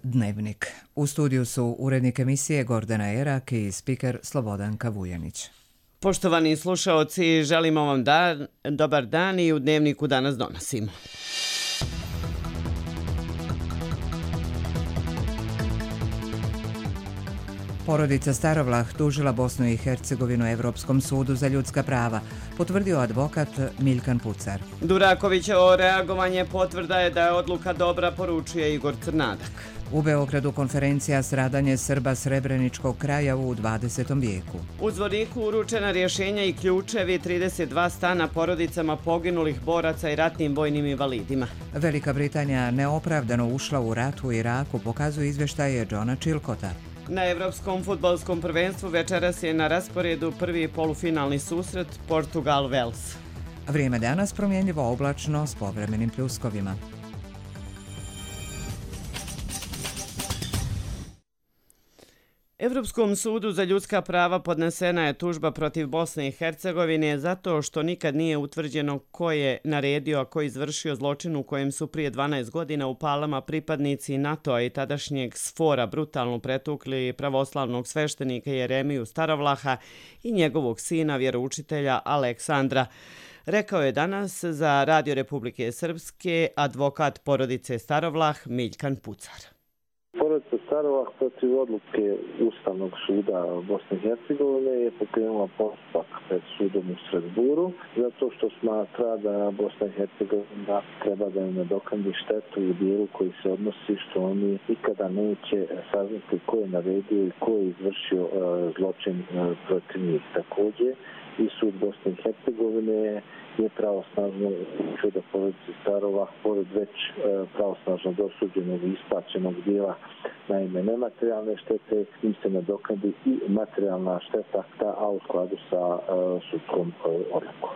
Dnevnik. U studiju su urednik emisije Gordana Erak i spiker Slobodanka Vujanić. Poštovani slušaoci, želimo vam dobar dan i u Dnevniku danas donosimo. Porodica Starovlah tužila Bosnu i Hercegovinu Evropskom sudu za ljudska prava, potvrdio advokat Miljkan Pucar. Durakovićevo reagovanje potvrda je da je odluka dobra, poručuje Igor Crnadak. U Beogradu konferencija Stradanje Srba Srebreničkog kraja u 20. vijeku. U Zvorniku uručena rješenja i ključevi 32 stana porodicama poginulih boraca i ratnim vojnim invalidima. Velika Britanija neopravdano ušla u rat u Iraku, pokazuje izvještaje Johna Chilcota. Na Evropskom fudbalskom prvenstvu večeras je na rasporedu prvi polufinalni susret Portugal-Vels. Vrijeme danas promjenjivo oblačno s povremenim pljuskovima. Evropskom sudu za ljudska prava podnesena je tužba protiv Bosne i Hercegovine zato što nikad nije utvrđeno ko je naredio, a ko je izvršio zločin u kojem su prije 12 godina u Palama pripadnici NATO-a i tadašnjeg SFOR-a brutalno pretukli pravoslavnog sveštenika Jeremiju Starovlaha i njegovog sina vjeroučitelja Aleksandra. Rekao je danas za Radio Republike Srpske advokat porodice Starovlah Miljkan Pucar. Porodica Starovlah protiv odluke Ustavnog suda Bosne i Hercegovine je pokrenula postupak pred sudom u Strasburu zato što smatra da Bosna i Hercegovina treba da im nadoknadi štetu u dijelu koji se odnosi što oni nikada neće saznati ko je naredio i ko je izvršio zločin protiv njih. Također i sud Bosne i Hercegovine je pravosnažno učio da porodice Starovlah, pored već pravosnažno dosuđenog i isplaćenog dijela na ime nematerijalne štete, im se nadoknadi i materijalna šteta, a u skladu sa sudskom odlukom.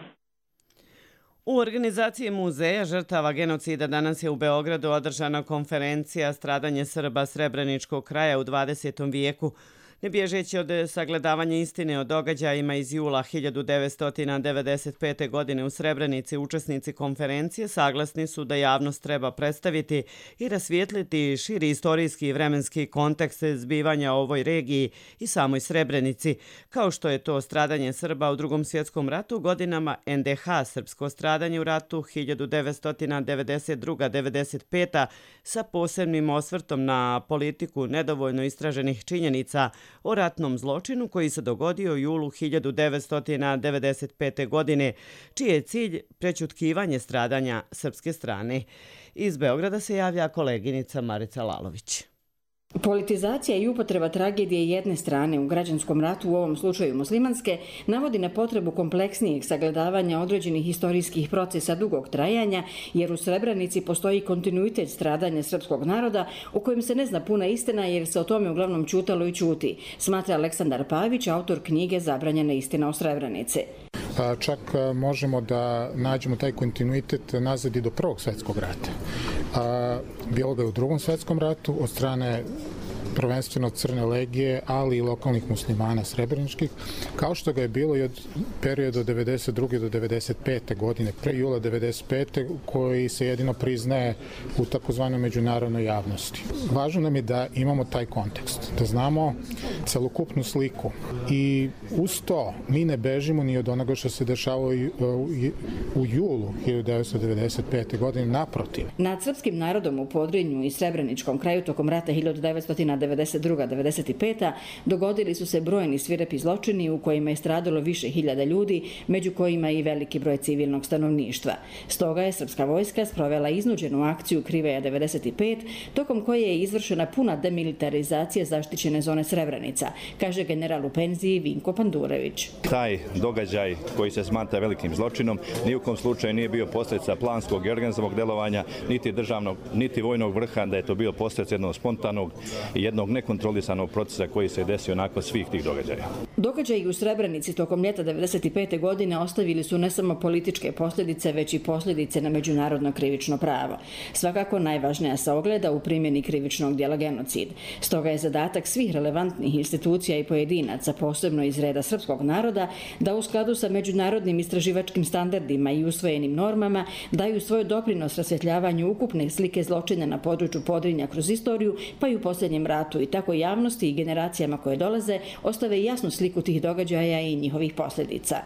U organizaciji Muzeja žrtava genocida danas je u Beogradu održana konferencija Stradanje Srba Srebreničkog kraja u 20. vijeku. Ne bježeći od sagledavanja istine o događajima iz jula 1995. godine u Srebrenici, učesnici konferencije saglasni su da javnost treba predstaviti i rasvijetliti širi istorijski i vremenski kontekst zbivanja u ovoj regiji i samoj Srebrenici, kao što je to stradanje Srba u Drugom svjetskom ratu godinama NDH, srpsko stradanje u ratu 1992-95. sa posebnim osvrtom na politiku nedovoljno istraženih činjenica o ratnom zločinu koji se dogodio u julu 1995. godine, čiji je cilj prećutkivanje stradanja srpske strane. Iz Beograda se javlja koleginica Marica Lalović. Politizacija i upotreba tragedije jedne strane u građanskom ratu, u ovom slučaju muslimanske, navodi na potrebu kompleksnijeg sagledavanja određenih historijskih procesa dugog trajanja, jer u Srebrenici postoji kontinuitet stradanja srpskog naroda u kojem se ne zna puna istina jer se o tome uglavnom ćutalo i ćuti, smatra Aleksandar Pavić, autor knjige Zabranjena istina o Srebrenici. Čak možemo da nađemo taj kontinuitet nazad i do Prvog svjetskog rata. Bilo ga je u Drugom svjetskom ratu od strane prvenstveno Crne legije, ali i lokalnih muslimana srebreničkih, kao što ga je bilo i od perioda od 92. do 95. godine, pre jula 95. koji se jedino priznaje u takozvanoj međunarodnoj javnosti. Važno nam je da imamo taj kontekst, da znamo celokupnu sliku i uz to mi ne bežimo ni od onoga što se dešavalo u julu 1995. godine, naprotiv. Nad srpskim narodom u Podrinju i Srebreničkom kraju tokom rata 1992-95. dogodili su se brojni svirepi zločini u kojima je stradalo više hiljada ljudi, među kojima i veliki broj civilnog stanovništva. Stoga je srpska vojska sprovela iznuđenu akciju Kriveja 95, tokom koje je izvršena puna demilitarizacija zaštićene zone Srebrenica, kaže general u penziji Vinko Pandurević. Taj događaj koji se smatra velikim zločinom ni u kom slučaju nije bio posljedica planskog i organizovanog delovanja, niti državnog, niti vojnog vrha, da je to bio posljedica jednog spontanog i jednog jednog nekontrolisanog procesa koji se desio nakon svih tih događaja. Događaji u Srebrenici tokom ljeta 1995. godine ostavili su ne samo političke posljedice, već i posljedice na međunarodno krivično pravo. Svakako najvažnija se ogleda u primjeni krivičnog djela genocid. Stoga je zadatak svih relevantnih institucija i pojedinaca, posebno iz reda srpskog naroda, da u skladu sa međunarodnim istraživačkim standardima i usvojenim normama daju svoj doprinos rasvjetljavanju ukupne slike zločina na području Podrinja kroz istoriju, pa i u posljednjem ratu, i tako javnosti i generacijama koje dolaze ostave jasnu sliku tih događaja i njihovih posljedica.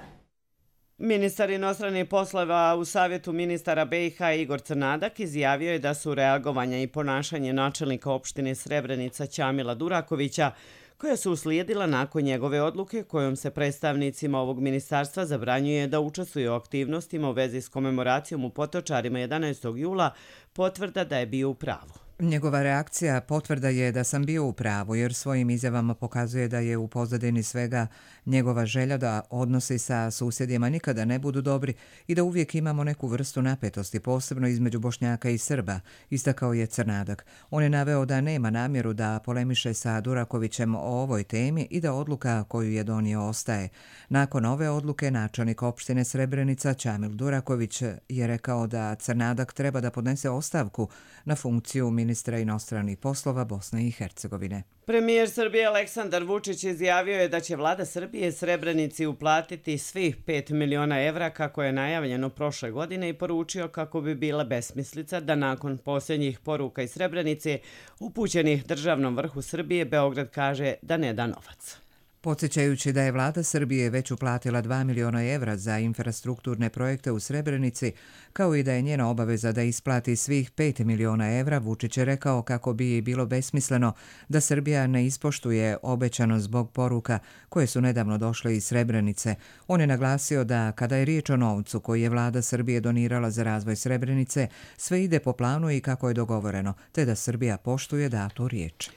Ministar inostranih poslova u Savjetu ministara BiH Igor Crnadak izjavio je da su reagovanja i ponašanje načelnika opštine Srebrenica Ćamila Durakovića, koja su uslijedila nakon njegove odluke kojom se predstavnicima ovog ministarstva zabranjuje da učestvuju u aktivnostima u vezi s komemoracijom u Potočarima 11. jula, potvrda da je bio u pravu. Njegova reakcija potvrda je da sam bio u pravu, jer svojim izjavama pokazuje da je u pozadini svega njegova želja da odnosi sa susjedima nikada ne budu dobri i da uvijek imamo neku vrstu napetosti, posebno između Bošnjaka i Srba, istakao je Crnadak. On je naveo da nema namjeru da polemiše sa Durakovićem o ovoj temi i da odluka koju je donio ostaje. Nakon ove odluke, načelnik opštine Srebrenica Ćamil Duraković je rekao da Crnadak treba da podnese ostavku na funkciju ministra inostranih poslova Bosne i Hercegovine. Premijer Srbije Aleksandar Vučić izjavio je da će vlada Srbije Srebrenici uplatiti svih 5 miliona evra kako je najavljeno prošle godine i poručio kako bi bila besmislica da nakon posljednjih poruka iz Srebrenice upućenih državnom vrhu Srbije Beograd kaže da ne da novac. Podsjećajući da je vlada Srbije već uplatila 2 miliona evra za infrastrukturne projekte u Srebrenici, kao i da je njena obaveza da isplati svih 5 miliona evra, Vučić je rekao kako bi bilo besmisleno da Srbija ne ispoštuje obećano zbog poruka koje su nedavno došle iz Srebrenice. On je naglasio da kada je riječ o novcu koji je vlada Srbije donirala za razvoj Srebrenice, sve ide po planu i kako je dogovoreno, te da Srbija poštuje datu riječ.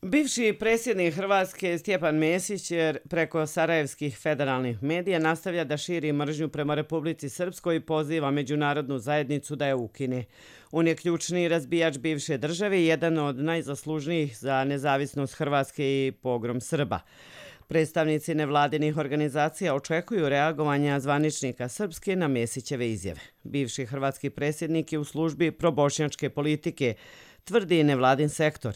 Bivši predsjednik Hrvatske Stjepan Mesić preko sarajevskih federalnih medija nastavlja da širi mržnju prema Republici Srpskoj i poziva međunarodnu zajednicu da je ukine. On je ključni razbijač bivše države i jedan od najzaslužnijih za nezavisnost Hrvatske i pogrom Srba. Predstavnici nevladinih organizacija očekuju reagovanja zvaničnika Srpske na Mesićeve izjave. Bivši hrvatski predsjednik je u službi probošnjačke politike, tvrdi nevladin sektor.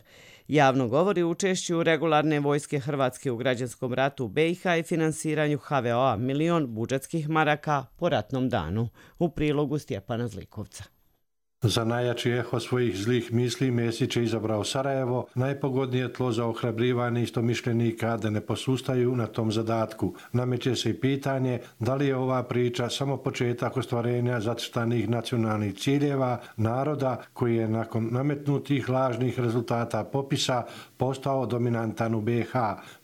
Javno govori o učešću regularne vojske Hrvatske u građanskom ratu u BiH i finansiranju HVO-a milion budžetskih maraka po ratnom danu. U prilogu Stjepana Zlikovca. Za najjači eho svojih zlih misli Mesić je izabrao Sarajevo, najpogodnije tlo za ohrabrivanje istomišljenika da ne posustaju na tom zadatku. Nameće se i pitanje da li je ova priča samo početak ostvarenja zacrtanih nacionalnih ciljeva naroda koji je nakon nametnutih lažnih rezultata popisa postao dominantan u BiH.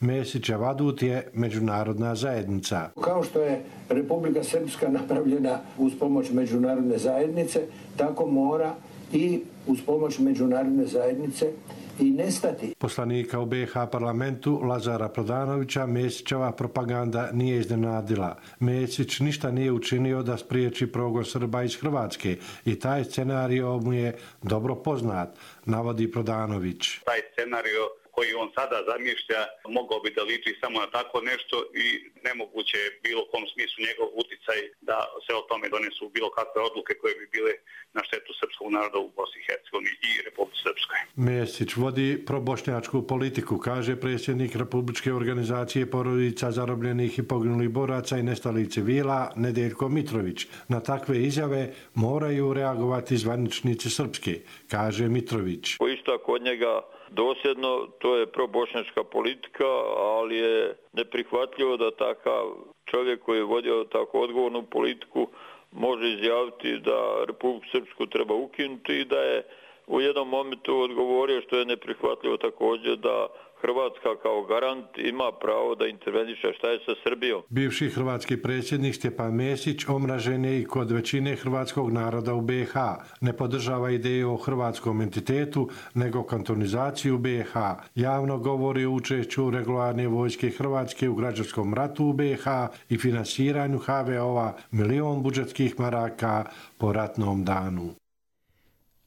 Mesićev adut je međunarodna zajednica. Kao što je Republika Srpska napravljena uz pomoć međunarodne zajednice, tako mora i uz pomoć međunarodne zajednice i nestati. Poslanika u BiH parlamentu Lazara Prodanovića Mesićeva propaganda nije iznenadila. Mesić ništa nije učinio da spriječi progon Srba iz Hrvatske i taj scenario mu je dobro poznat, navodi Prodanović. Taj scenario koji on sada zamišlja mogao bi da liči samo na tako nešto i nemoguće je bilo kom smislu njegov uticaj da se o tome donesu bilo kakve odluke koje bi bile na štetu srpskog naroda u Bosni i Hercegovini i Republici Srpskoj. Mesić vodi probošnjačku politiku, kaže predsjednik Republičke organizacije porodica zarobljenih i poginulih boraca i nestalih civila Nedeljko Mitrović. Na takve izjave moraju reagovati zvaničnici Srpske, kaže Mitrović. Isto kod njega dosljedno, to je probošnjačka politika, ali je neprihvatljivo da takav čovjek koji je vodio tako odgovornu politiku može izjaviti da Republiku Srpsku treba ukinuti i da je u jednom momentu odgovorio, što je neprihvatljivo također, da Hrvatska kao garant ima pravo da interveniše. Šta je sa Srbijom? Bivši hrvatski predsjednik Stjepan Mesić omražen je i kod većine hrvatskog naroda u BiH. Ne podržava ideju o hrvatskom entitetu, nego kantonizaciju BiH. Javno govori o učešću regularne vojske Hrvatske u građanskom ratu u BiH i finansiranju HVO-a milion budžetskih maraka po ratnom danu.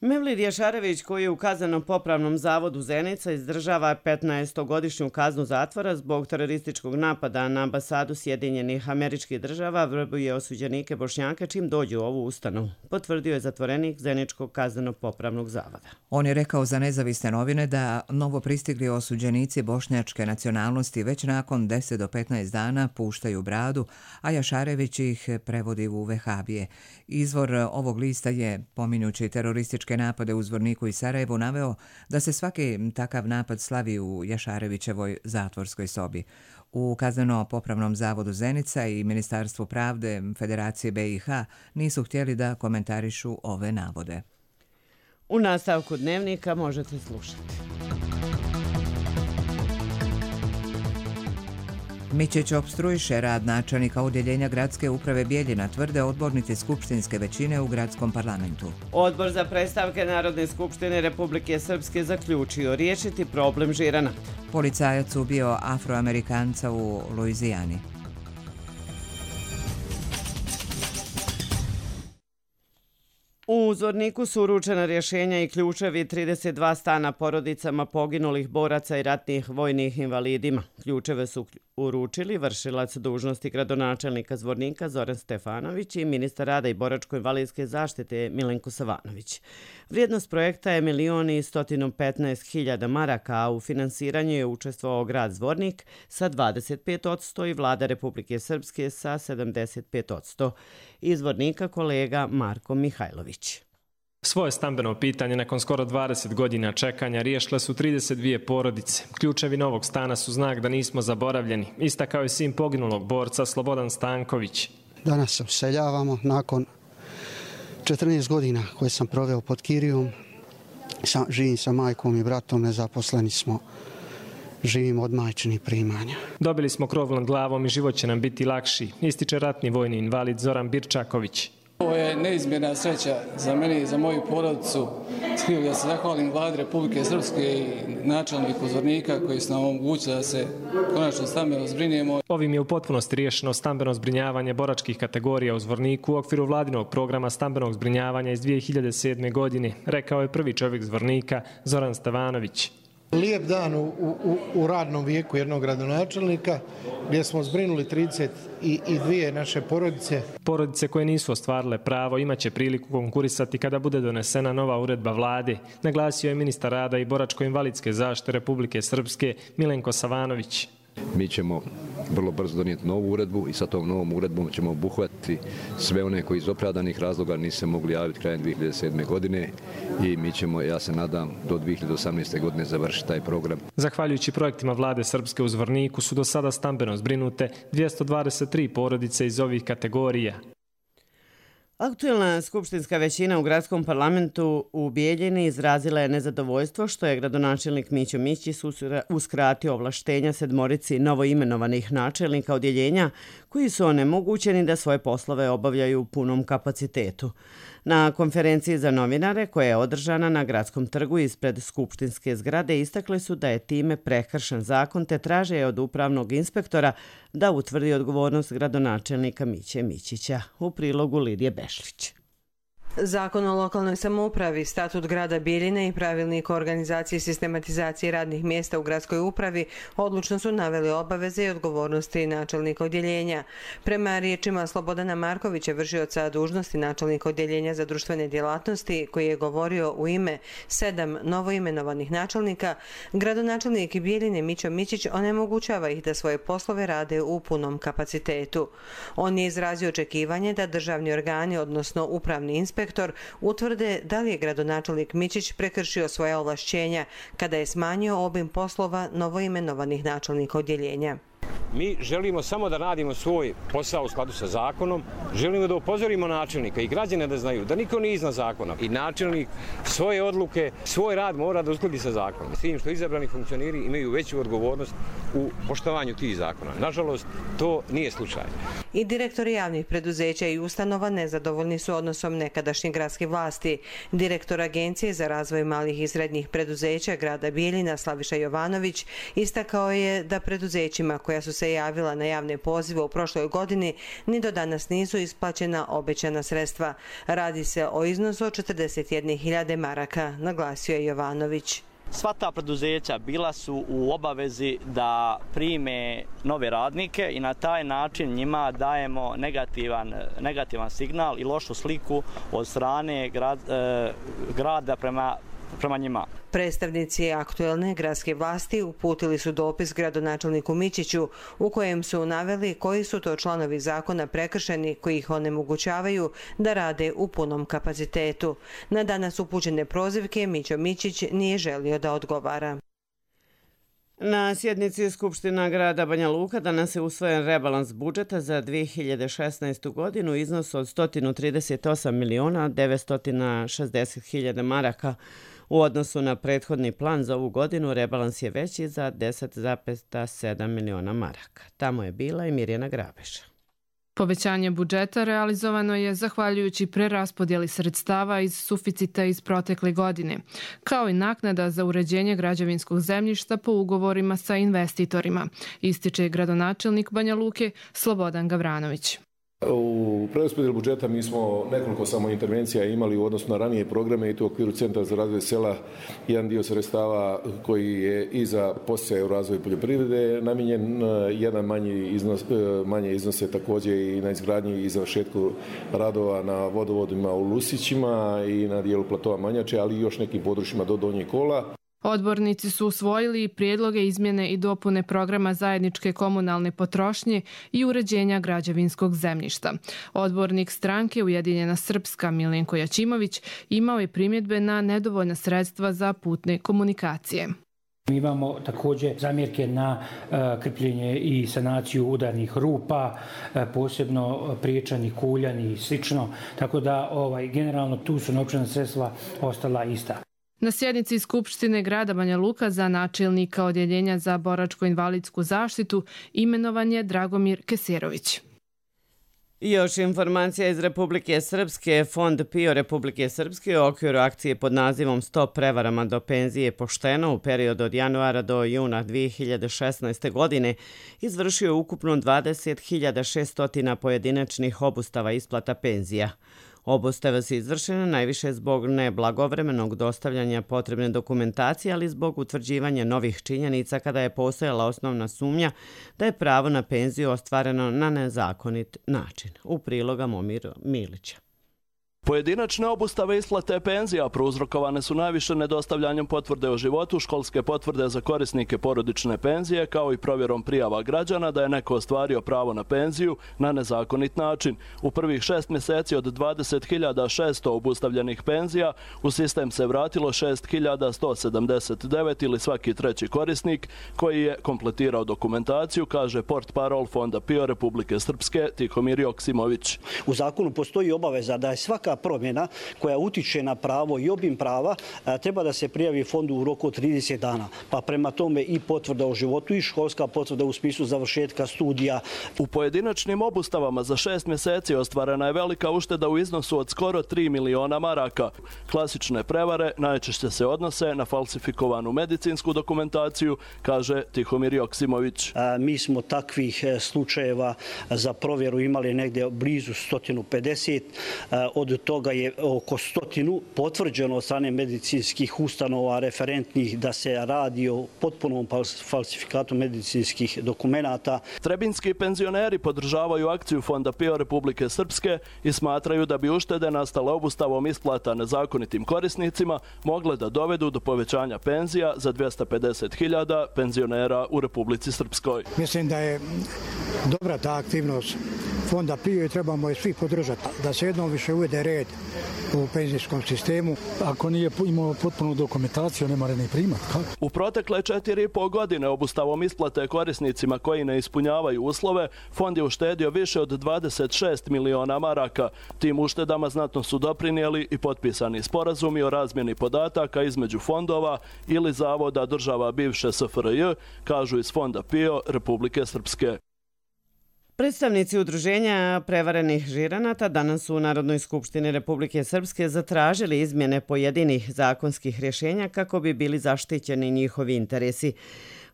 Mevlid Jašarević, koji je u kazneno-popravnom zavodu Zenica, izdržava 15-godišnju kaznu zatvora zbog terorističkog napada na ambasadu Sjedinjenih Američkih Država, vrbuje osuđenike Bošnjake čim dođu u ovu ustanovu, potvrdio je zatvorenik Zeničkog kazneno-popravnog zavoda. On je rekao za nezavisne novine da novo pristigli osuđenici bošnjačke nacionalnosti već nakon 10 do 15 dana puštaju bradu, a Jašarević ih prevodi u vehabije. Izvor ovog lista je, pominjući terorističke napade u Zvorniku i Sarajevu, naveo da se svaki takav napad slavi u Jašarevićevoj zatvorskoj sobi. U kazneno-popravnom zavodu Zenica i Ministarstvu pravde Federacije BiH nisu htjeli da komentarišu ove navode. U nastavku dnevnika možete slušati. Mićić opstruiše rad načelnika odjeljenja gradske uprave Bijeljina, tvrde odbornici skupštinske većine u gradskom parlamentu. Odbor za predstavke Narodne skupštine Republike Srpske zaključio riješiti problem žiranata. Policajac ubio Afroamerikanca u Luizijani. U Zvorniku su uručena rješenja i ključevi 32 stana porodicama poginulih boraca i ratnih vojnih invalidima. Ključeve su uručili vršilac dužnosti gradonačelnika Zvornika Zoran Stefanović i ministar rada i boračko-invalidske zaštite Milenko Savanović. Vrijednost projekta je 1.115.000 maraka, a u finansiranju je učestvovao grad Zvornik sa 25% i vlada Republike Srpske sa 75%. Iz Zvornika kolega Marko Mihajlović. Svoje stambeno pitanje nakon skoro 20 godina čekanja riješile su 32 porodice. Ključevi novog stana su znak da nismo zaboravljeni, istakao je sin poginulog borca Slobodan Stanković. Danas se useljavamo nakon 14 godina koje sam proveo pod Kirijom. Živim sa majkom i bratom, nezaposleni smo. Živimo od majčinih primanja. Dobili smo krov nad glavom i život će nam biti lakši, ističe ratni vojni invalid Zoran Birčaković. Ovo je neizmjerna sreća za mene i za moju porodicu. Htio da se zahvalim vladi Republike Srpske i načelniku Zvornika koji su nam omogućili da se konačno stambeno zbrinjemo. Ovim je u potpunosti riješeno stambeno zbrinjavanje boračkih kategorija u Zvorniku u okviru vladinog programa stambenog zbrinjavanja iz 2007. godine, rekao je prvi čovjek Zvornika Zoran Stevanović. Lijep dan u radnom vijeku jednog gradonačelnika gdje smo zbrinuli 32 naše porodice. Porodice koje nisu ostvarile pravo imaće priliku konkurisati kada bude donesena nova uredba vlade, naglasio je ministar rada i boračko-invalidske zaštite Republike Srpske Milenko Savanović. Mi ćemo vrlo brzo donijeti novu uredbu i sa tom novom uredbom ćemo obuhvatiti sve one koji iz opravdanih razloga nisu se mogli javiti krajem 2007. godine i mi ćemo, ja se nadam, do 2018. godine završiti taj program. Zahvaljujući projektima vlade Srpske u Zvorniku su do sada stambeno zbrinute 223 porodice iz ovih kategorija. Aktuelna skupštinska većina u gradskom parlamentu u Bijeljini izrazila je nezadovoljstvo što je gradonačelnik Mićo Mićić uskratio ovlaštenja 7 novoimenovanih načelnika odjeljenja koji su onemogućeni da svoje poslove obavljaju u punom kapacitetu. Na konferenciji za novinare koja je održana na Gradskom trgu ispred skupštinske zgrade istakli su da je time prekršen zakon te traže od upravnog inspektora da utvrdi odgovornost gradonačelnika Miće Mićića. U prilogu Lidije Bešlić. Zakon o lokalnoj samoupravi, statut grada Bijeljine i pravilnik o organizaciji i sistematizaciji radnih mjesta u gradskoj upravi odlučno su naveli obaveze i odgovornosti načelnika odjeljenja. Prema riječima Slobodana Markovića, vršioca dužnosti načelnika odjeljenja za društvene djelatnosti, koji je govorio u ime 7 novoimenovanih načelnika, gradonačelnik Bijeljine Mićo Mićić onemogućava ih da svoje poslove rade u punom kapacitetu. On je izrazio očekivanje da državni organi, odnosno upravni inspektor, utvrde da li je gradonačelnik Mićić prekršio svoja ovlašćenja kada je smanjio obim poslova novoimenovanih načelnika odjeljenja. Mi želimo samo da radimo svoj posao u skladu sa zakonom, želimo da upozorimo načelnika i građane da znaju da niko nije iznad zakona i načelnik svoje odluke, svoj rad mora da uskladi sa zakonom. S tim što izabrani funkcioneri imaju veću odgovornost u poštovanju tih zakona. Nažalost, to nije slučaj. I direktori javnih preduzeća i ustanova nezadovoljni su odnosom nekadašnje gradske vlasti. Direktor Agencije za razvoj malih i srednjih preduzeća grada Bijeljina Slaviša Jovanović istakao je da preduzećima koja su se javila na javne pozive u prošloj godini, ni do danas nisu isplaćena obećana sredstva. Radi se o iznosu od 41.000 maraka, naglasio je Jovanović. Sva ta preduzeća bila su u obavezi da prime nove radnike i na taj način njima dajemo negativan signal i lošu sliku od strane grada prema njima. Predstavnici aktuelne gradske vlasti uputili su dopis gradonačelniku Mićiću u kojem su naveli koji su to članovi zakona prekršeni koji ih onemogućavaju da rade u punom kapacitetu. Na danas upućene prozivke Mićo Mićić nije želio da odgovara. Na sjednici Skupština grada Banja Luka danas je usvojen rebalans budžeta za 2016. godinu u iznosu od 138.960.000 maraka. U odnosu na prethodni plan za ovu godinu rebalans je veći za 10,7 miliona maraka. Tamo je bila i Mirjana Grabeša. Povećanje budžeta realizovano je zahvaljujući preraspodjeli sredstava iz suficita iz protekle godine, kao i naknada za uređenje građevinskog zemljišta po ugovorima sa investitorima, ističe gradonačelnik Banja Luke Slobodan Gavranović. U preraspodjeli budžeta mi smo nekoliko samo intervencija imali u odnosu na ranije programe i to u okviru Centra za razvoj sela. Jedan dio sredstava koji je i za podsticaje u razvoju poljoprivrede namijenjen, jedan manje iznose također i na izgradnji i završetku radova na vodovodima u Lusićima i na dijelu platova Manjače, ali i još nekim područjima do Donjeg Kola. Odbornici su usvojili prijedloge izmjene i dopune programa zajedničke komunalne potrošnje i uređenja građevinskog zemljišta. Odbornik stranke Ujedinjena Srpska Milenko Jačimović imao je primjedbe na nedovoljna sredstva za putne komunikacije. Mi imamo također zamjerke na krpljenje i sanaciju udarnih rupa, posebno priječani, kuljani i slično, tako da generalno tu su novčana sredstva ostala ista. Na sjednici Skupštine grada Banja Luka za načelnika Odjeljenja za boračko-invalidsku zaštitu imenovan je Dragomir Keserović. I još informacija iz Republike Srpske. Fond PIO Republike Srpske u okviru akcije pod nazivom Stop prevarama do penzije pošteno u periodu od januara do juna 2016. godine izvršio ukupno 20.600 pojedinačnih obustava isplata penzija. Obustave su izvršene najviše zbog neblagovremenog dostavljanja potrebne dokumentacije, ali zbog utvrđivanja novih činjenica kada je postojala osnovna sumnja da je pravo na penziju ostvareno na nezakonit način. U priloga Momira Milića. Pojedinačne obustave isplate penzija prouzrokovane su najviše nedostavljanjem potvrde o životu, školske potvrde za korisnike porodične penzije, kao i provjerom prijava građana da je neko ostvario pravo na penziju na nezakonit način. U prvih 6 mjeseci od 20.600 obustavljenih penzija u sistem se vratilo 6.179 ili svaki treći korisnik koji je kompletirao dokumentaciju, kaže portparol Fonda PIO Republike Srpske Tihomir Joksimović. U zakonu postoji obaveza da je svaka promjena koja utiče na pravo i obim prava treba da se prijavi fondu u roku od 30 dana. Pa prema tome i potvrda o životu i školska potvrda u smislu završetka studija. U pojedinačnim obustavama za 6 mjeseci ostvarena je velika ušteda u iznosu od skoro 3 miliona maraka. Klasične prevare najčešće se odnose na falsifikovanu medicinsku dokumentaciju, kaže Tihomir Joksimović. Mi smo takvih slučajeva za provjeru imali negdje blizu 150. Od toga je oko 100 potvrđeno od strane medicinskih ustanova referentnih da se radi o potpunom falsifikatu medicinskih dokumenata. Trebinski penzioneri podržavaju akciju Fonda PIO Republike Srpske i smatraju da bi uštede nastale obustavom isplata nezakonitim korisnicima mogle da dovedu do povećanja penzija za 250.000 penzionera u Republici Srpskoj. Mislim da je dobra ta aktivnost Fonda PIO i trebamo je svi podržati, da se jednom više uvede red u penzijskom sistemu. Ako nije imao potpunu dokumentaciju, nema ni primat. U protekle 4,5 godine obustavom isplate korisnicima koji ne ispunjavaju uslove, fond je uštedio više od 26 miliona maraka. Tim uštedama znatno su doprinijeli i potpisani sporazumi o razmjeni podataka između fondova ili zavoda država bivše SFRJ, kažu iz Fonda PIO Republike Srpske. Predstavnici udruženja prevarenih žiranata danas su u Narodnoj skupštini Republike Srpske zatražili izmjene pojedinih zakonskih rješenja kako bi bili zaštićeni njihovi interesi.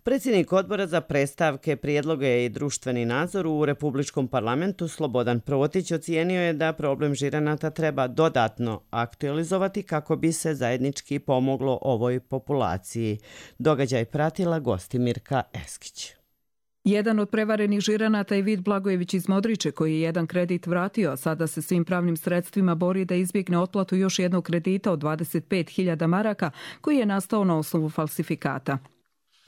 Predsjednik odbora za predstavke, prijedloge i društveni nadzor u Republičkom parlamentu Slobodan Protić ocijenio je da problem žiranata treba dodatno aktualizovati kako bi se zajednički pomoglo ovoj populaciji. Događaj pratila Gostimirka Eskić. Jedan od prevarenih žiranata je Vid Blagojević iz Modriče, koji je jedan kredit vratio, a sada se svim pravnim sredstvima bori da izbjegne otplatu još jednog kredita od 25.000 maraka koji je nastao na osnovu falsifikata.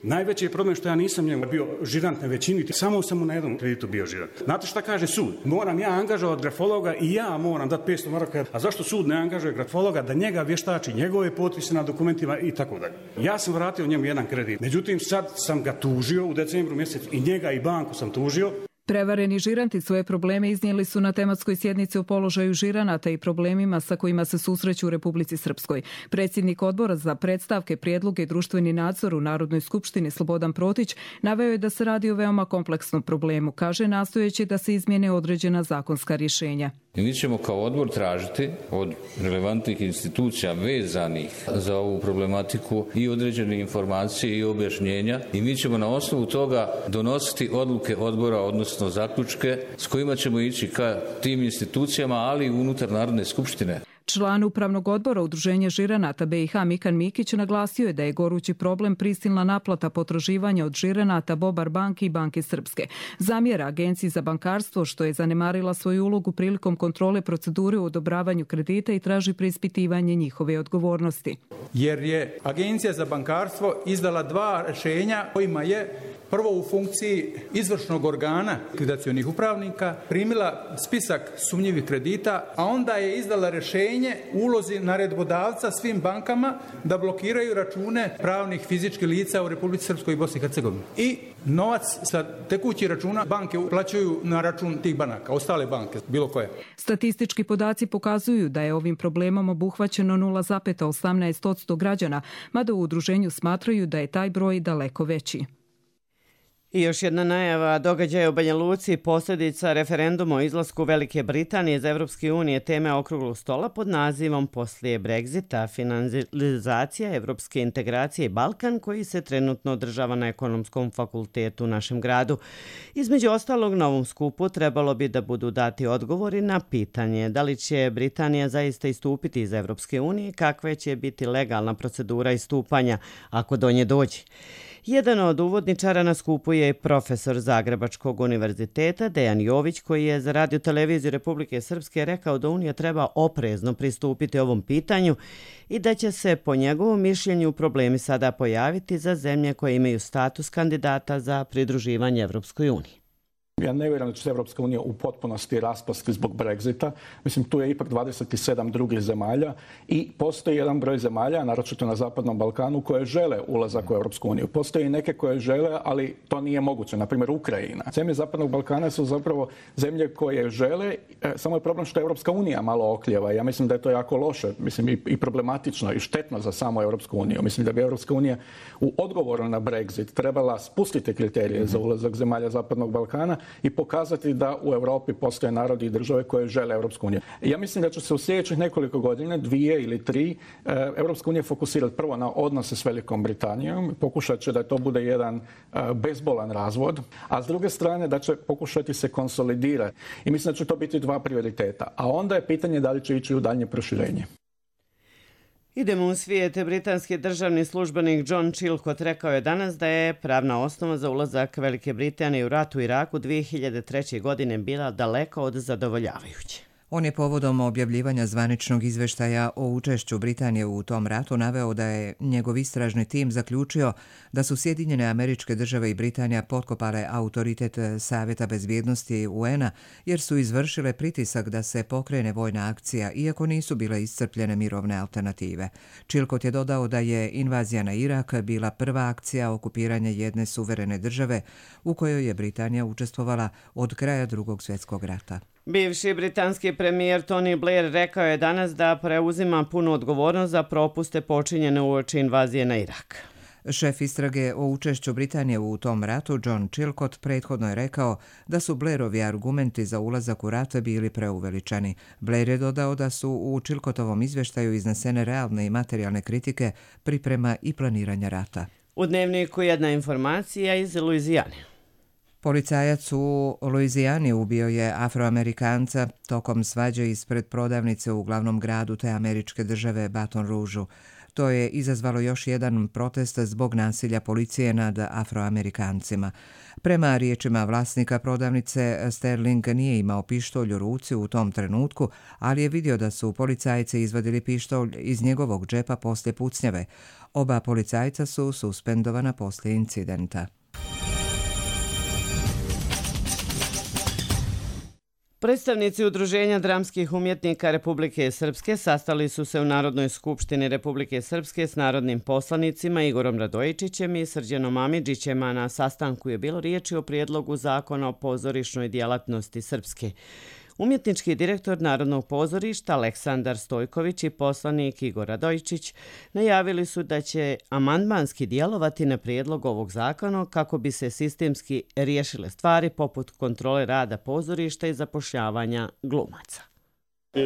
Najveći je problem što ja nisam njemu bio žirant na većini, samo sam mu na jednom kreditu bio žirant. Znate šta kaže sud? Moram ja angažovati grafologa i ja moram dati 500 maraka. A zašto sud ne angažuje grafologa da njega vještači, njegove potpise na dokumentima i tako dalje? Ja sam vratio njemu jedan kredit. Međutim, sad sam ga tužio u decembru mjesecu i njega i banku sam tužio. Prevareni žiranti svoje probleme iznijeli su na tematskoj sjednici o položaju žiranata i problemima sa kojima se susreću u Republici Srpskoj. Predsjednik odbora za predstavke, prijedloge i društveni nadzor u Narodnoj skupštini Slobodan Protić naveo je da se radi o veoma kompleksnom problemu, kaže nastojeći da se izmijene određena zakonska rješenja. I mi ćemo kao odbor tražiti od relevantnih institucija vezanih za ovu problematiku i određene informacije i objašnjenja i mi ćemo na osnovu toga donositi odluke odbora, odnosno zaključke s kojima ćemo ići ka tim institucijama, ali i unutar Narodne skupštine. Član Upravnog odbora Udruženja žiranata BiH Mikan Mikić naglasio je da je gorući problem prisilna naplata potraživanja od žiranata Bobar banke i Banke Srpske. Zamjera Agenciji za bankarstvo što je zanemarila svoju ulogu prilikom kontrole procedure u odobravanju kredita i traži preispitivanje njihove odgovornosti. Jer je Agencija za bankarstvo izdala 2 rješenja kojima je prvo u funkciji izvršnog organa likvidacionih upravnika primila spisak sumnjivih kredita, a onda je izdala rješenje u ulozi naredbodavca svim bankama da blokiraju račune pravnih fizičkih lica u Republici Srpskoj i Bosni i Hercegovini. I novac sa tekućih računa banke uplaćuju na račun tih banaka, ostale banke, bilo koje. Statistički podaci pokazuju da je ovim problemom obuhvaćeno 0,18% građana, mada u udruženju smatraju da je taj broj daleko veći. I još jedna najava događaja u Banja Luci, posljedica referenduma o izlasku Velike Britanije iz Evropske unije, teme okruglog stola pod nazivom Poslije Brexita, finalizacija evropske integracije i Balkan, koji se trenutno održava na Ekonomskom fakultetu u našem gradu. Između ostalog, na ovom skupu trebalo bi da budu dati odgovori na pitanje da li će Britanija zaista istupiti iz Evropske unije, kakva će biti legalna procedura istupanja ako do nje dođe. Jedan od uvodničara na skupu je profesor Zagrebačkog univerziteta Dejan Jović, koji je za Radio televiziju Republike Srpske rekao da Unija treba oprezno pristupiti ovom pitanju i da će se po njegovom mišljenju problemi sada pojaviti za zemlje koje imaju status kandidata za pridruživanje Evropskoj uniji. Ja ne vjerujem da će se Evropska unija u potpunosti raspasti zbog Brexita. Mislim, tu je ipak 27 drugih zemalja i postoji jedan broj zemalja, naročito na Zapadnom Balkanu, koje žele ulazak u Evropsku uniju. Postoji neke koje žele, ali to nije moguće. Na primjer, Ukrajina. Zemlje Zapadnog Balkana su zapravo zemlje koje žele, samo je problem što Evropska unija malo oklijeva. Ja mislim da je to jako loše, mislim i problematično i štetno za samu Evropsku uniju. Mislim da bi Evropska unija u odgovoru na Brexit trebala spustiti kriterije za ulazak zemalja Zapadnog Balkana i pokazati da u Europi postoje narodi i države koje žele Europsku uniju. Ja mislim da će se u sljedećih nekoliko godina, 2 ili 3, Europska unija fokusirati prvo na odnose s Velikom Britanijom, pokušat će da to bude jedan bezbolan razvod, a s druge strane da će pokušati se konsolidirati. I mislim da će to biti 2 prioriteta. A onda je pitanje da li će ići u daljnje proširenje. Idemo u svijet. Britanski državni službenik John Chilcot rekao je danas da je pravna osnova za ulazak Velike Britanije u rat u Iraku 2003. godine bila daleko od zadovoljavajuće. On je povodom objavljivanja zvaničnog izveštaja o učešću Britanije u tom ratu naveo da je njegov istražni tim zaključio da su Sjedinjene Američke Države i Britanija potkopale autoritet Savjeta bezbjednosti UN-a jer su izvršile pritisak da se pokrene vojna akcija iako nisu bile iscrpljene mirovne alternative. Chilcot je dodao da je invazija na Irak bila prva akcija okupiranja jedne suverene države u kojoj je Britanija učestvovala od kraja Drugog svjetskog rata. Bivši britanski premijer Tony Blair rekao je danas da preuzima punu odgovornost za propuste počinjene uoči invazije na Irak. Šef istrage o učešću Britanije u tom ratu, John Chilcott, prethodno je rekao da su Blairovi argumenti za ulazak u rat bili preuveličani. Blair je dodao da su u Chilcottovom izvještaju iznesene realne i materijalne kritike, priprema i planiranja rata. U Dnevniku jedna informacija iz Luizijane. Policajac u Luizijani ubio je Afroamerikanca tokom svađe ispred prodavnice u glavnom gradu te američke države Baton Rougeu. To je izazvalo još jedan protest zbog nasilja policije nad Afroamerikancima. Prema riječima vlasnika prodavnice, Sterling nije imao pištolj u ruci u tom trenutku, ali je vidio da su policajci izvadili pištolj iz njegovog džepa poslije pucnjave. Oba policajca su suspendovana poslije incidenta. Predstavnici Udruženja dramskih umjetnika Republike Srpske sastali su se u Narodnoj skupštini Republike Srpske s narodnim poslanicima Igorom Radojičićem i Srđanom Amidžićem, a na sastanku je bilo riječi o prijedlogu zakona o pozorišnoj djelatnosti Srpske. Umjetnički direktor Narodnog pozorišta Aleksandar Stojković i poslanik Igor Radojičić najavili su da će amandmanski djelovati na prijedlog ovog zakona kako bi se sistemski riješile stvari poput kontrole rada pozorišta i zapošljavanja glumaca.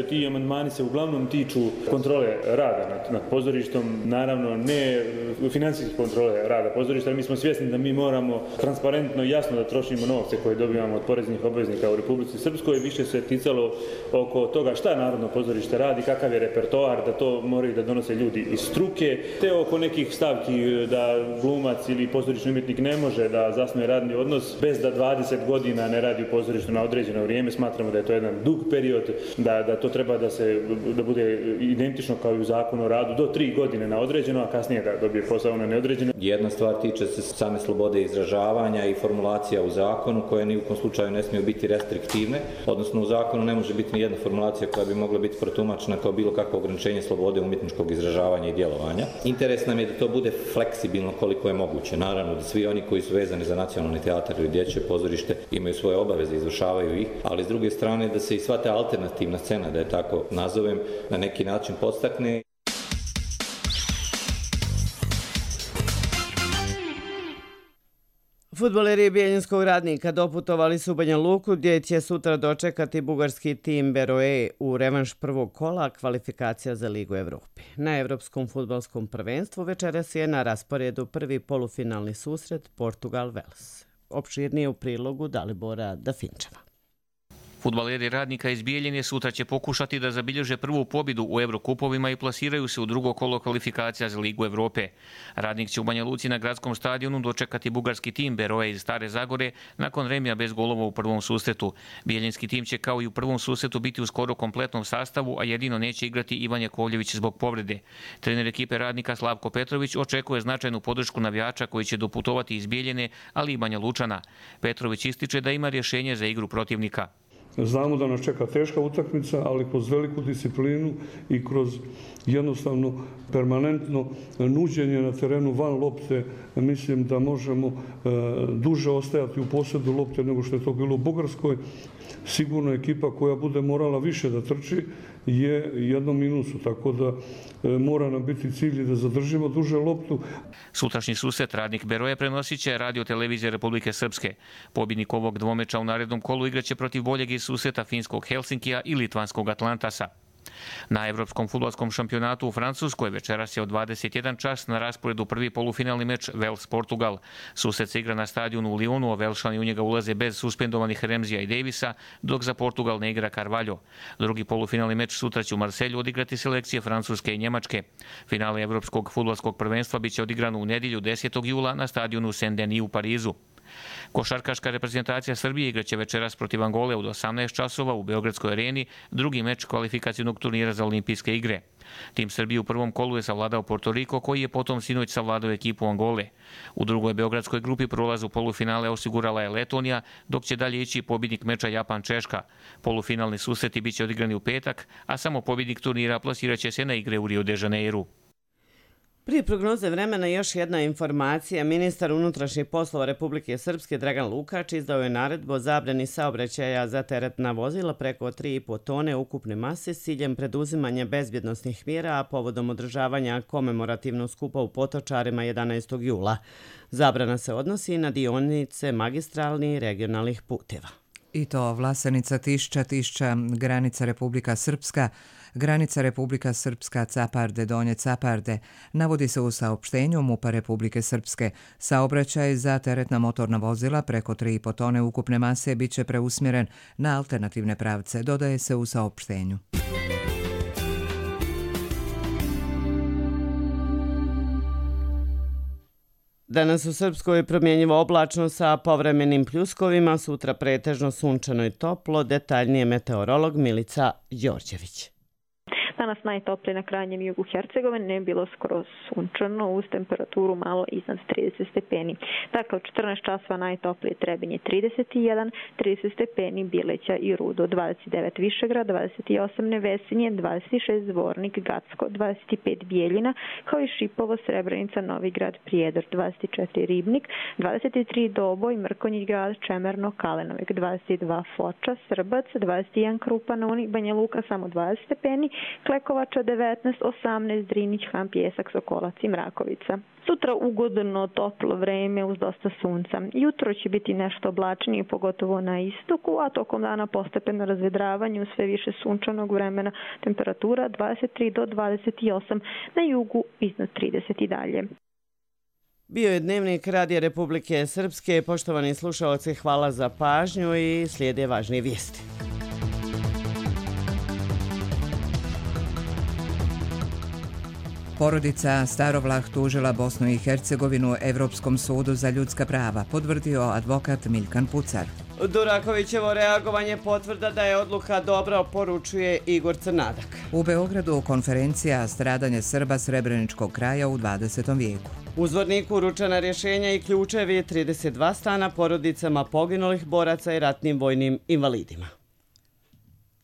Ti amandmani se uglavnom tiču kontrole rada nad pozorištom, naravno ne financijske kontrole rada pozorišta. Mi smo svjesni da mi moramo transparentno i jasno da trošimo novce koje dobivamo od poreznih obveznika u Republici Srpskoj. Više se ticalo oko toga šta Narodno pozorište radi, kakav je repertoar, da to moraju da donose ljudi iz struke, te oko nekih stavki da glumac ili pozorišni umjetnik ne može da zasnuje radni odnos bez da 20 godina ne radi u pozorištu na određeno vrijeme. Smatramo da je to jedan dug period, da to treba da bude identično kao i u zakonu o radu do 3 godine na određeno, a kasnije da dobije posao na neodređeno. Jedna stvar tiče se same slobode izražavanja i formulacija u zakonu koje ni u kom slučaju ne smiju biti restriktivne, odnosno u zakonu ne može biti ni jedna formulacija koja bi mogla biti protumačena kao bilo kakvo ograničenje slobode umjetničkog izražavanja i djelovanja. Interes nam je da to bude fleksibilno koliko je moguće. Naravno da svi oni koji su vezani za nacionalni teatar ili dječje pozorište imaju svoje obaveze, izvršavaju ih, ali s druge strane da se i sva ta alternativna scena, da je tako nazovem, na neki način podstakne. Fudbaleri Bijeljinskog Radnika doputovali su u Banja Luku gdje će sutra dočekati bugarski tim Beroe u revanš prvog kola kvalifikacija za Ligu Evrope. Na Evropskom fudbalskom prvenstvu večeras je na rasporedu prvi polufinalni susret Portugal-Vels. Opširnije u prilogu Dalibora Dafinčeva. Fudbaleri Radnika iz Bijeljine sutra će pokušati da zabilježe prvu pobjedu u Evrokupovima i plasiraju se u drugo kolo kvalifikacija za Ligu Evrope. Radnik će u Banja Luci na gradskom stadionu dočekati bugarski tim Beroe iz Stare Zagore nakon remija bez golova u prvom susretu. Bijeljinski tim će kao i u prvom susretu biti u skoro kompletnom sastavu, a jedino neće igrati Ivan Jakovljević zbog povrede. Trener ekipe Radnika Slavko Petrović očekuje značajnu podršku navijača koji će doputovati iz Bijeljine, ali i Banja Lučana. Petrović ističe da ima rješenje za igru protivnika. Znamo da nas čeka teška utakmica, ali kroz veliku disciplinu i kroz jednostavno permanentno nuđenje na terenu van lopte, mislim da možemo duže ostajati u posjedu lopte nego što je to bilo u Bugarskoj. Sigurno ekipa koja bude morala više da trči je jednom minusu, tako da mora nam biti cilj da zadržimo duže loptu. Sutrašnji susret Radnik Beroe prenosit će Radio televizije Republike Srpske. Pobjednik ovog dvomeča u narednom kolu igraće protiv boljeg iz susreta finskog Helsinkija i litvanskog Atlantasa. Na Evropskom fudbalskom šampionatu u Francuskoj večeras je od 21 čas na rasporedu prvi polufinalni meč Vels-Portugal. Susret se igra na stadionu u Lyonu, a Velšani u njega ulaze bez suspendovanih Remzija i Davisa, dok za Portugal ne igra Carvalho. Drugi polufinalni meč sutra će u Marselju odigrati selekcije Francuske i Njemačke. Finale Evropskog fudbalskog prvenstva biće odigrano u nedjelju 10. jula na stadionu Saint-Denis u Parizu. Košarkaška reprezentacija Srbije igraće večeras protiv Angole od 18 časova u Beogradskoj areni, drugi meč kvalifikacijnog turnira za olimpijske igre. Tim Srbije u prvom kolu je savladao Porto Riko, koji je potom sinoć savladao ekipu Angole. U drugoj beogradskoj grupi prolaz u polufinale osigurala je Letonija, dok će dalje ići pobjednik meča Japan-Češka. Polufinalni susreti biće odigrani u petak, a samo pobjednik turnira plasirat će se na igre u Rio de Janeiru. Prije prognoze vremena još jedna informacija. Ministar unutrašnjih poslova Republike Srpske Dragan Lukač izdao je naredbu o zabrani saobraćaja za teretna vozila preko 3,5 tone ukupne mase s ciljem preduzimanja bezbjednosnih mjera, a povodom održavanja komemorativnog skupa u Potočarima 11. jula. Zabrana se odnosi na dionice magistralnih i regionalnih puteva. I to Vlasenica, Tišća, granica Republika Srpska, granica Republika Srpska, Caparde, Donje Caparde, navodi se u saopštenju MUP-a Republike Srpske. Saobraćaj za teretna motorna vozila preko 3,5 tone ukupne mase bit će preusmjeren na alternativne pravce, dodaje se u saopštenju. Danas u Srpskoj je promjenjivo oblačno sa povremenim pljuskovima, sutra pretežno sunčano i toplo, detaljnije meteorolog Milica Đorđević. Danas najtoplije na krajnjem jugu Hercegovine, je bilo skoro sunčano uz temperaturu malo iznad 30 stepeni. Dakle, u 14 časova najtoplije Trebinje 31, 30 stepeni Bileća i Rudo, 29 Višegrad, 28 Nevesinje, 26 Zvornik, Gacko, 25 Bijeljina, kao i Šipovo, Srebrenica, Novigrad, Prijedor, 24 Ribnik, 23 Doboj, Mrkonjić grad, Čemerno, Kalenovik, 22 Foča, Srbac, 21 Krupan, Banja Luka samo 20 stepeni, Klekovača 19, 18 Drinić, Han, Pjesak, Sokolac i Mrakovica. Sutra ugodno toplo vreme uz dosta sunca. Jutro će biti nešto oblačnije, pogotovo na istoku, a tokom dana postepeno razvedravanje uz sve više sunčanog vremena, temperatura 23 do 28, na jugu iznad 30 i dalje. Bio je dnevnik Radija Republike Srpske. Poštovani slušaoci, hvala za pažnju i slijede važnije vijesti. Porodica Starovlah tužila Bosnu i Hercegovinu Evropskom sudu za ljudska prava, potvrdio advokat Milkan Pucar. Durakovićevo reagovanje potvrda da je odluka dobra, poručuje Igor Crnadak. U Beogradu konferencija Stradanje Srba Srebreničkog kraja u 20. vijeku. U Zvorniku uručena rješenja i ključevi 32 stana porodicama poginulih boraca i ratnim vojnim invalidima.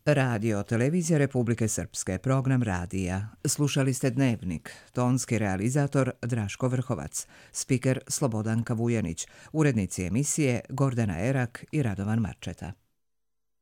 Radio Televizija Republike Srpske, program radija. Slušali ste Dnevnik, tonski realizator Draško Vrhovac, spiker Slobodanka Vujanić, urednici emisije Gordana Erak i Radovan Marčeta.